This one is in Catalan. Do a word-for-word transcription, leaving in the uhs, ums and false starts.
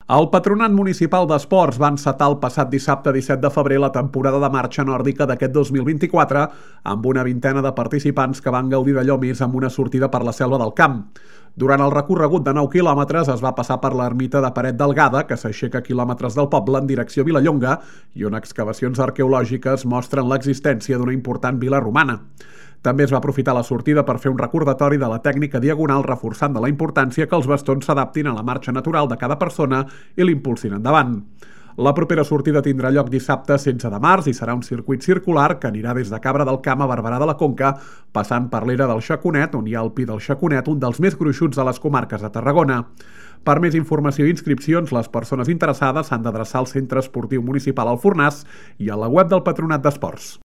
El Patronat Municipal d'Esports va encetar el passat dissabte disset de febrer la temporada de marxa nòrdica d'aquest dos mil vint-i-quatre amb una vintena de participants que van gaudir d'allò més amb una sortida per la selva del camp. Durant el recorregut de nou quilòmetres es va passar per l'ermita de Paret Delgada, que s'aixeca quilòmetres del poble en direcció a Vilallonga, i on excavacions arqueològiques mostren l'existència d'una important vila romana. També es va aprofitar la sortida per fer un recordatori de la tècnica diagonal, reforçant de la importància que els bastons s'adaptin a la marxa natural de cada persona i l'impulsin endavant. La propera sortida tindrà lloc dissabte setze de març i serà un circuit circular que anirà des de Cabra del Camp a Barberà de la Conca, passant per l'era del Xaconet, on hi ha el Pi del Xaconet, un dels més gruixuts de les comarques de Tarragona. Per més informació i inscripcions, les persones interessades s'han d'adreçar al Centre Esportiu Municipal Alfornàs i a la web del Patronat d'Esports.